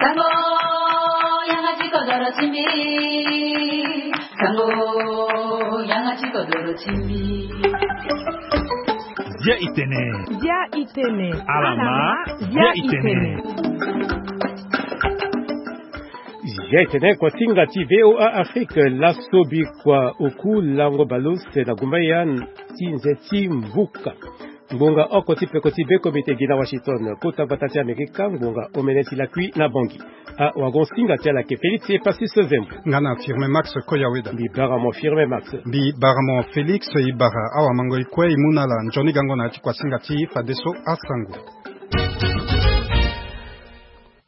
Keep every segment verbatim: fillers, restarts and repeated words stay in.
Sango, yanga ti kodoro ti mbi. Sango, yanga ti kodoro ti mbi. Dia itene. Dia itene. Alama. Dia itene. Dia itene. Kuasinga ti VOA Afrique, laso bikua oku lango baleuse na gumbaya ti nze ti mbuka. Ngbonga oko ti peko ti be komite gi na Washington, kota gbata ti Amerika, ngbonga omene ti lakui na Bangui. Awagonsinga ti ala ayeke Félix Epasis Zembo. Nga na Firme Max Koyaweda. Mbi bara mo Firme Max. Mbi bara mo Félix, e bara awamango e kue e mu na ala nzoni gango na ya ti kuasinga ti fadeso asango.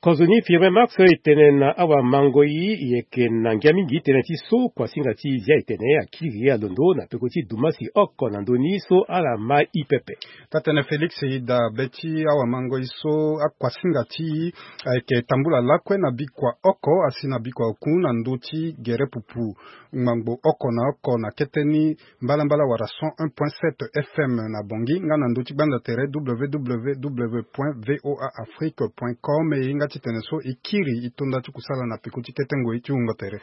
Kozoni Firme Max, e tene na awamango e, e yeke na ngia mingi tënë ti so kuasinga ti Dia Itene akiri alondo na peko ti dumasi oko na ndö ni so ala ma e pepe. Taa-tënë Félix, e daa be ti awamango e so akuasinga ti e ayeke tambula lakue na bikua oko asi na bikua oku na ndö ti gere pupu ngbangbo oko na oko na kete ni mbalambala wala cent un point sept F M na Bangui, nga na ndö ti gbanda tere W W W point V O A Afrique point com. E hinga titene so e kiri e to nda ti kusala na peko ti kete ngoi ti wungo tere.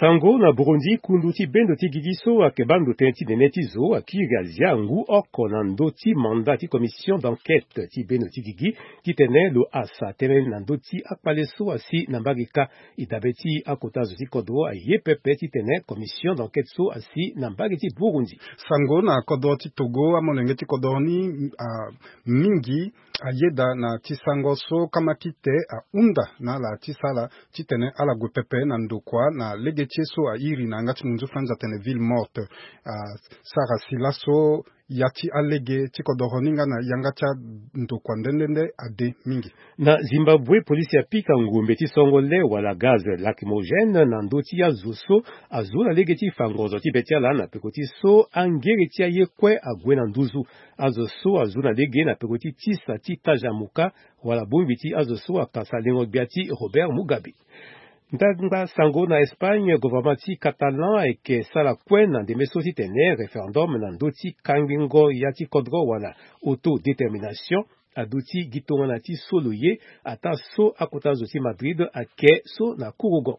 Sango na Burundi, kundu ti bendo ti gigi so ayeke baa ndo tënë ti nene ti zo akiri azia ngu oko na ndö ti mandat ti commission d'enquête ti bendo ti gigi titene lo hasa tënë na ndö ti akpale so asi na mbage kâ. E dabe ti akota zo ti kodro aye pepe titene commission d'enquête so asi na mbage ti Burundi. Sango na kodro ti Togo, amolenge ti kodro ni, ah, mingi ayeda na ti sango so kamakite ahunda na ala ti sala titene ala gue pepe na ndokua na lege ti ye so airi na yanga ti munzu Franz atene ville morte. Ah, sara si laso ya ti alege ti kodoro ni nga na yanga ti andokua nde nde nde ade mingi. Na Zimbabwe, polisi apika ngombe ti songo le wala gaz lacrymogène na ndö ti azo so azo na lege ti fa ngonzo ti be ti ala na peko ti so angere ti aye kue ague na nduzu. Azo so azo na lege na peko ti tisa ti tajamuka wala bongbi ti azo so akasa lengo gbia ti Robert Mugabe. Ndangba sango na Espagne, gouvernement ti Catalan ayeke sara kue na ndembe so titene référendum na ndö ti kangbingo ya ti kodro wala autodétermination aduti gi tongana ti so lo ye, ataa so akota zo ti Madrid ayeke so na kurugo.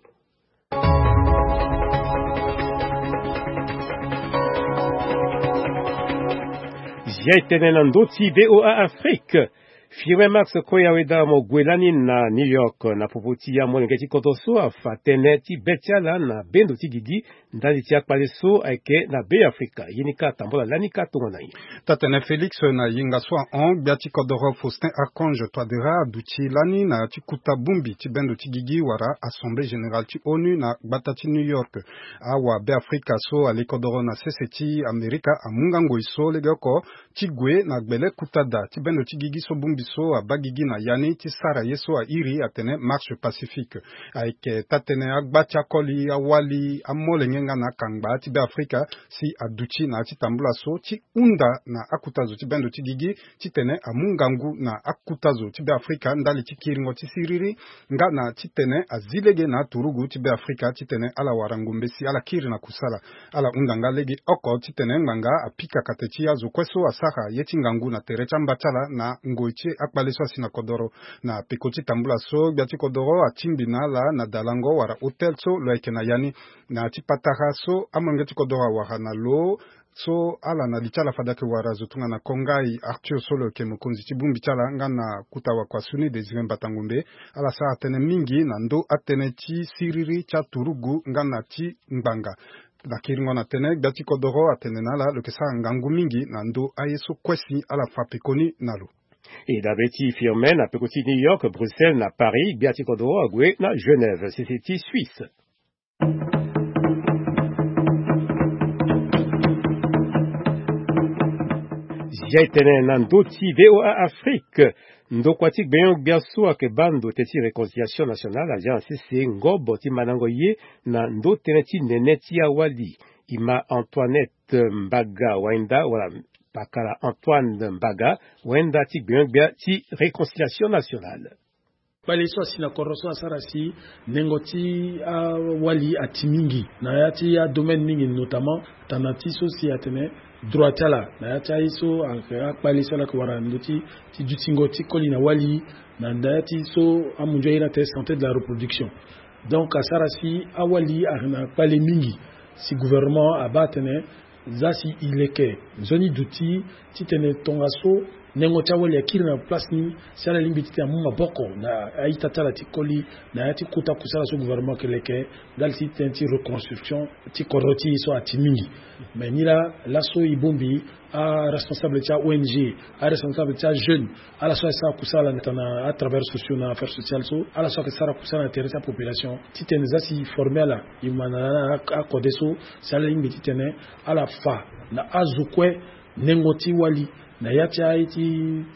Zia e tene na ndö ti VOA Afrique. Firme Max Koya Weda mo gue lani na New York na popo ti amolenge ti kodro so afa tënë ti be ti ala na bendo ti gigi ndali ti akpale so ayeke na Be Afrika. Ye ni kâ atambola lani kâ tongana nyen? Taa-tene Félix, na yenga so ahon, gbia ti kodoro Faustin Archange Touadéra aduti lani na ya ti kuta bongbi ti bendo ti gigi wala Assemblée Générale ti ONU na gbata ti New York. Awa Be Afrika so ale kodoro na sese ti Amerika amu nga ngoi so legeoko ti gue na gbele kuta da ti bendo ti gigi so bongbi so abaa gigi na ya ni ti sara ye so airi atene marche pacifique. Ayeke taa-tënë agba ti akoli, awali, amolenge nga na akangba ti Be Afrika si aduti na ya ti tambula so ti hunda na akota zo ti bendo ti gigi titene amu ngangu na akota zo ti Be Afrika ndali ti kiringo ti siriri nga na titene azi lege na aturugu ti Be Afrika titene ala wara ngombe si ala kiri na kusala. Ala hunda nga lege oko titene ngbanga apika kate ti azo kue so asara ye ti ngangu na tere ti amba ti ala na ngoi ti akpale so asi na kodoro. Na peko ti tambula so, gbia ti kodoro atingbi na ala na dalango wala hôtel so lo yeke na ya ni. Na ya ti patara so amolenge ti kodoro awara na lo so ala na li ti ala fade ayeke wara zo tongana Kongai Arthur so lo yeke mokonzi ti bongbi ti ala nga na kota wakua so ni Désiré Mbata Ngombe. Ala sara tënë mingi na ndö atënë ti siriri ti aturugu nga na ti ngbanga. Na kiringo na tënë, gbia ti kodoro atene na ala lo yeke sara ngangu mingi na ndö aye so kue si ala fa pekoni na lo. E dabe ti Firme na peko ti New York, Bruxelles na Paris, gbia ti kodoro ague na Genève, sese ti Suisse. Zia e tene na ndö ti VOA Afrique. Ndokua ti gbenyo-gbia so ayeke baa ndo tënë ti réconciliation nationale azia na sese ngobo ti mandango ye na ndö tënë ti nene ti awali. E ma Antoinette Mbaga Wainda wala pakala Antoine Mbaga Wainda ti gbenyo-gbia ti réconciliation nationale. Kpale so asi na kodro so asara si nengo ti awali ati mingi na ya ti adomaine mingi, notamment tana ti so si atene Droit ti ala na ya ti aye so ayeke akpale so ala yeke wara na ndö ti ti dutingo ti koli na wali, na ya ti so amunzu aye ni atene santé de la reproduction. Donc asara si awali ayeke na kpale mingi. Si gouvernement abaa atene za si e leke nzoni duti titene tongaso nengo ti awali akiri na place ni, si ala lingbi titene amu maboko na a-ita ti ala ti koli na ya ti kota kusala so gouvernement ayeke leke ndali ti tënë ti reconstruction ti kodro ti e so ati mingi. Mais ni laa laso e bongbi aresponsable ti a-ong, aresponsable ti ajeune, ala so ayeke sara kusala na tana atravers sociaux na affaire sociale so, ala so ayeke sara kusala na tere ti apopulation titene za si e forme ala, e ma na akode so si ala lingbi titene ala fa na azo kue nengo ti wali na ya ti aye ti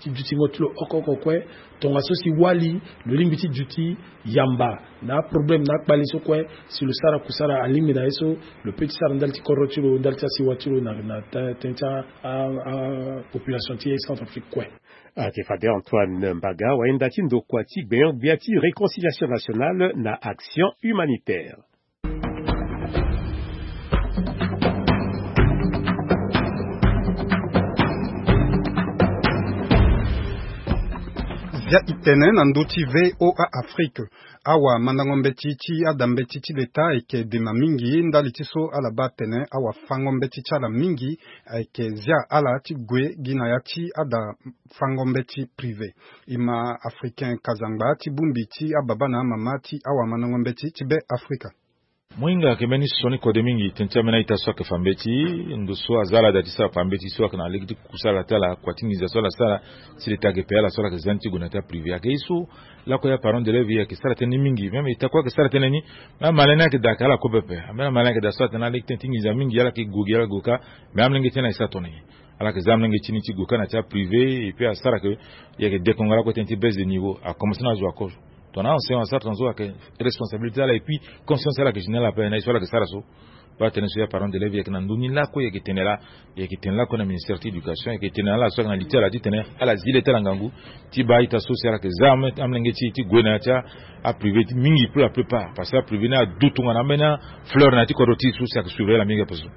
dutingo ti lo oko oko kue. Tongaso si wali lo lingbi ti duti yamba na aproblème na akpale so kue, si lo sara kusala alingbi na ye so lo pe ti sara ndali ti kodro ti lo, ndali ti asiwa ti lo na tënë ti apopulation ti Centrafrique kue. Ayeke fade Antoine Mbaga, wayenda ti ndokua ti gbenyo-gbia ti réconciliation nationale na action humanitaire. Zia itene na ndö ti VOA Afrique. Awamandango mbeti ti ada mbeti ti leta ayeke dema mingi ndali ti so ala baa atene awafango mbeti ti ala mingi ayeke zia ala ti gue gi na ya ti ada fango mbeti privé. E ma Africain Kazangba ti bongbi ti ababa na amama ti awamandango mbeti ti Be Afrika. Mo hinga ayeke mbeni sioni kode mingi tënë ti ambeni a-ita so ayeke fa mbeti, ndo so aza ala daa ti sara kpa mbeti so ayeke na lege ti kusala ti ala, kua ti nginza so ala sara, si leta ayeke pe ala so ala yeke za ni ti gue na ya ti aprivé. Ayeke ye so lakue ya parent d'élève e yeke sara tënë ni mingi. Même eta kue ayeke sara tënë ni, même amalin ni ayeke daa ayeke ala kue pepe. Ambeni amalin ayeke daa so atene na lege tënë ti nginza mingi ala yeke gue gi ala gue kâ. Mais amolenge ti ni ayeke sara tongana nyen? Ala yeke za amolenge ti ni ti gue kâ na ya ti aprivé, et puis asara ke e yeke dekonga lakue tënë ti baisse de niveau. Akomanse na azo ako. Tongana enseignant asara tongaso ayeke responsabilité ti ala, et puis conscience ti ala ayeke général ape na ye so ala yeke sara so. Baa tënë so ya parent d'élève e yeke na ndö ni lakue e yeke tene laa, e yeke tene lakue na ministère ti éducation, e yeke tene na ala so ayeke na li ti ala titene ala zi le ti ala ngangu ti baa a-ita so si ala yeke za amolenge ti e ti gue na ya ti aprivé ti mingi pour la plupart, parce que aprivé ni adu tongana ambeni afleur na ya ti kodro ti e so si ayeke surveiller ala mingi ape so.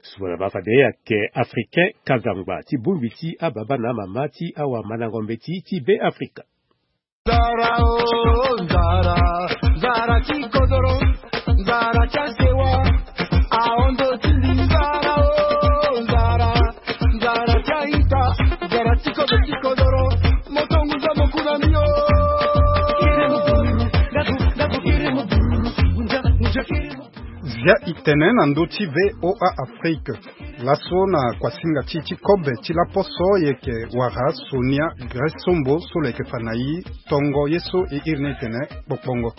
Sumana baa fade ayeke Africain Kazangba ti bongbi ti ababa na amama ti awamandango mbeti ti Be Afrika. Nzara o, nzara, nzara ti kodoro, nzara ti asewa, ahon ndo ti mbi. Nzara o, nzara, nzara ti a-ita, nzara ti kodro ti kodoro, moto ngunza mo ku na mbi o. Zia itene na ndö ti VOA Afrique. Laso na kuasinga ti e ti kobe ti laposo e yeke wara Sonia Grace Sombo so lo yeke fa na e tongo ye so e iri ni tene kpokpongo.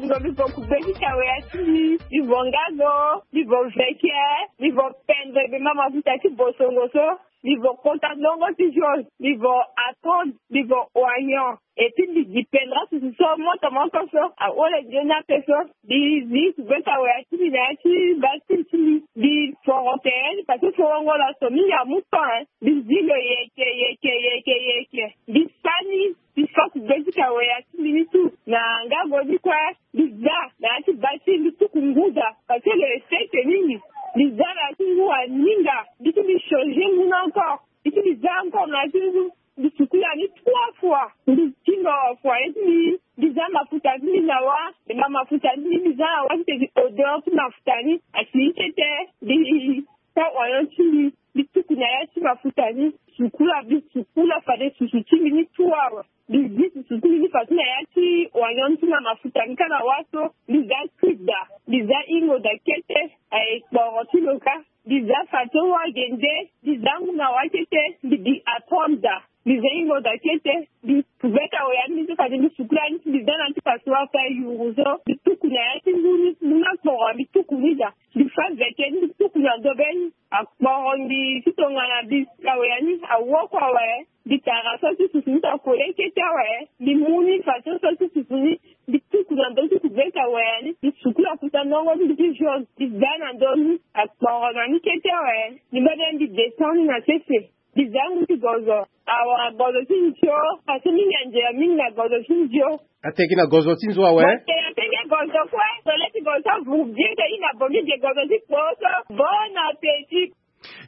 Mbi vo, mbi vo kugbe ti kawea ti mbi, mbi vo ngazo, mbi vo veke, mbi vo pendre be ma mafuta ti bosongo so. Mbi vo kota ndongo ti jaune, mbi vo attendre, mbi vo oignon. Et puis mbi gi pendra susu so moto moko so ahore nzoni ape so. Mbi zi kugbe kawea ti mbi na ya ti bascule ti mbi. Mbi foro tene ni parce que forongo laso mingi amu temps, hein. Mbi zi lo yeke, yeke, yeke, yeke. Mbi sani, mbi fa kugbe ti kawea ti mbi ni tout na ngago ni kue. Mbi za na ya ti bascule, mbi tuku ngu daa parce que lo ye seke mingi. Mbi za na ya ti ngu aninga, mbi ti mbi changer ngu ni encore. Mbi ti mbi za encore na ya ti ngu. Mbi sukula ni trois fois. Mbi ti lo foyer ti mbi, mbi za mafuta ti mbi na wâ. E ma mafuta ti mbi, mbi za na wâ titene odeur ti mafuta ni asi ni tete. Mbi sa oignon ti mbi, mbi tuku na ya ti mafuta ni. Sukula, mbi sukula fade susu ti mbi ni trois awe. Mbi zi susu ti mbi ni fadeso na ya ti oignon ti na mafuta ni kâ na wâ so. Mbi za cuit daa, mbi za hingo daa kete. Aye kporo ti lo kâ. Mbi za fadeso wâ gende, mbi za ngu na wâ kete, mbi gi attendre daa. Mbi za hingo daa kete, mbi kugbe kawea ni so fade mbi sukula ni, mbi za na ya ti passoire ti ayuru so. Mbi tuku na ya ti ngu ni, ngu ni akporo, mbi tuku ni daa. Mbi fa veke ni, mbi tuku na ndo be ni. Akporo ngi ti tongana mbi kawea ni awoko awe. Mbi tara so ti susu ni so akole kete awe. Mbi mu ni fadeso so ti susu ni. Mbi tuku na ndö ti kugbe kawea ni. Mbi sukula kuta ndongo ti mbi ti jaune. Mbi za na ndö ni. Akporo na ni kete awe. Mbi mbeni mbi descend ni na sese. Mbi za ngu ti gozo. Awara gozo ti nzio. Parce que mingi anzela mingi na gozo ti nzio. Ateki na gozo ti nzo awe. Ateki gozo kue. Tole ti gozo ti avuru bien te i na bongi ge gozo ti kpo so. Bon appétit.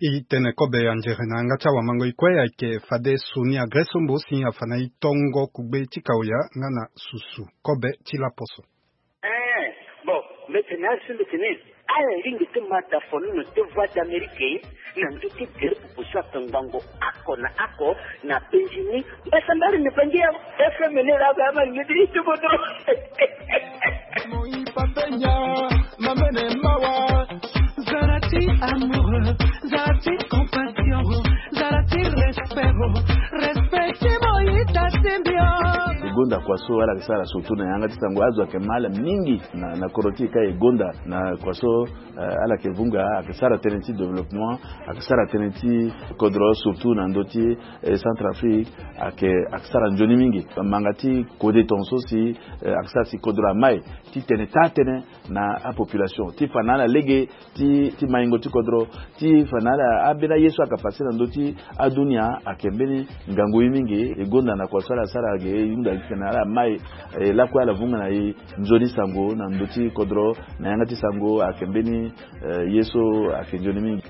E tene kobe anzere na yanga ti awamango e kue ayeke fade Sonia Gresombo si afa na e tongo kugbe ti kaoya nga na susu kobe ti laposo. Eh, bon, mbe tene asi mbe tene ala lingbi ti ma da fonono ti Voix d'Amérique na ndö ti gere pupu so ake ngbongo oko na oko na penzi ni. Mbasambari ni pangi ya F M ni la ba ma ngidi ti bodo. Moi papenya, mamene mawa. Zala ti amoureux, zala ti compassion, zala ti respect, respect ti moi ta ti mbio. E gonda kua so ala yeke sara surtout na yanga ti sango, azo ayeke ma ala mingi na, na kodro ti e ka e gonda na kua so, eh, ala yeke vunga, ayeke sara tënë ti développement, ayeke sara tënë ti kodro surtout na ndö ti, eh, Centrafrique, ayeke, ayeke sara nzoni mingi. Manga ti kode tongaso si, eh, ayeke sara si kodro amai ti tene taa tënë na apopulation ti fa na ala lege ti, ti maingo ti kodro, ti fa na ala ambeni aye so ayeke pase na ndö ti adunia ayeke mbeni ngangu ye mingi. E gonda na kua so ala sara ge e hunda gi tene ala mai, eh, lakue ala vunga na e nzoni sango na ndö ti kodro na yanga ti sango ayeke mbeni, eh, ye so ayeke nzoni mingi.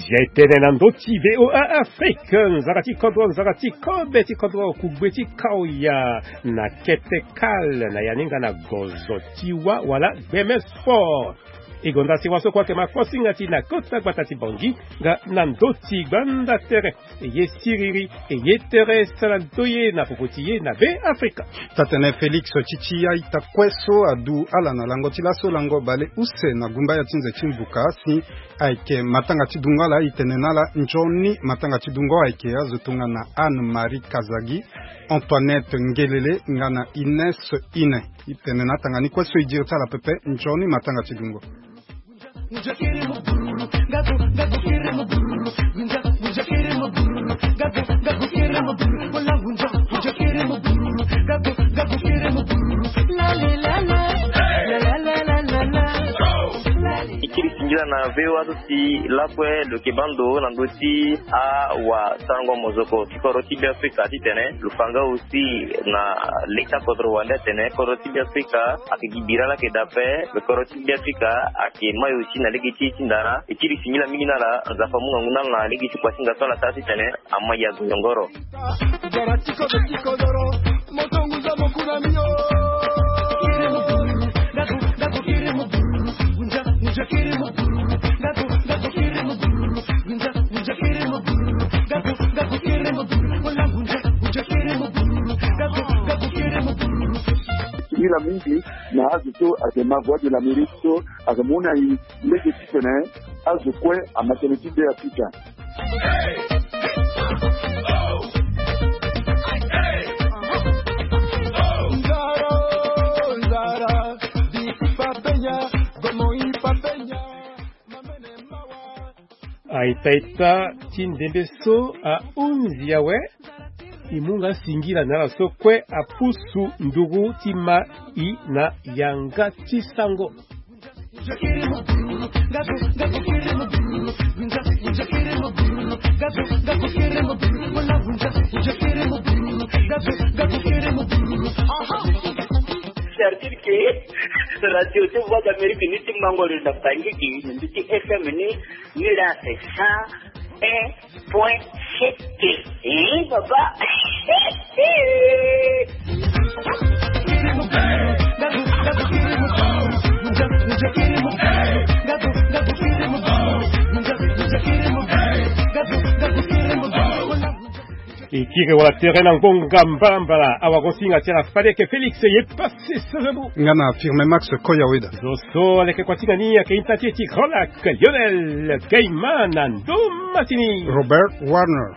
Zia e tene na ndö ti V O A Afrique, nzara ti kodro, nzara ti kobe ti kodro, kugbe ti kaoya na kete kale na ya ni nga na gozo ti wa wala gbeme sport. E gonda si wa so kue ayeke ma kosinga ti na kota gbata ti Bangui nga na ndö ti gbanda tere. E ye siriri, e ye tere sara ndoye na popo ti ye na Be Afrika. Tatene Félix Tchitchi a-ita kue so adu ala na lango ti laso lango bale use na gumbaya ti nze ti mbuka si ayeke matanga ti dungo ala, e tene na ala nzoni matanga ti dungo ayeke azo tongana Anne Marie Kazagi, Antoinette Ngelele nga na Ines Ine. E tene na atanga ni kue so e diri ti ala pepe nzoni matanga ti dungo. E kiri singila na V O A so si lakue lo yeke baa ndo na ndö ti awasarango mozoko ti kodro ti Be Afrika titene lo fa nga aussi na leta kodro wande atene kodro ti Be Afrika ayeke gi bira laa ayeke daa ape. Lo kodro ti Be Afrika ayeke mai aussi na lege ti e ti ndara. E kiri singila mingi na ala, Nzapa amu ngangu na ala na lege ti kuasinga so ala sara titene amai azo yongoro. Singila mingi na azo so ayeke ma Voix de l'Amérique so ayeke mu na e lege titene azo kue ama tënë ti Be Afrika. A-ita-ita ti ndembe so ahunzi awe. E mu nga singila na ala so kue apusu nduru ti ma e na yanga ti sango. C'est-à-dire que radio ti Voix d'Amérique ni ti mango lo na Bangui, ni ti F M ni, ni la c'est cent un point sept. Eh, papa. E kiri wala tere na ngonga mbala mbala, awagosinga ti ala fade eke Félix ye passe serebu. Nga na Firme Max Koyaweda. Zo so aleke kuasinga ni ayeke ita ti e ti Grand Lac, Lionel Gaiman na ndoma ti ni, Robert Warner.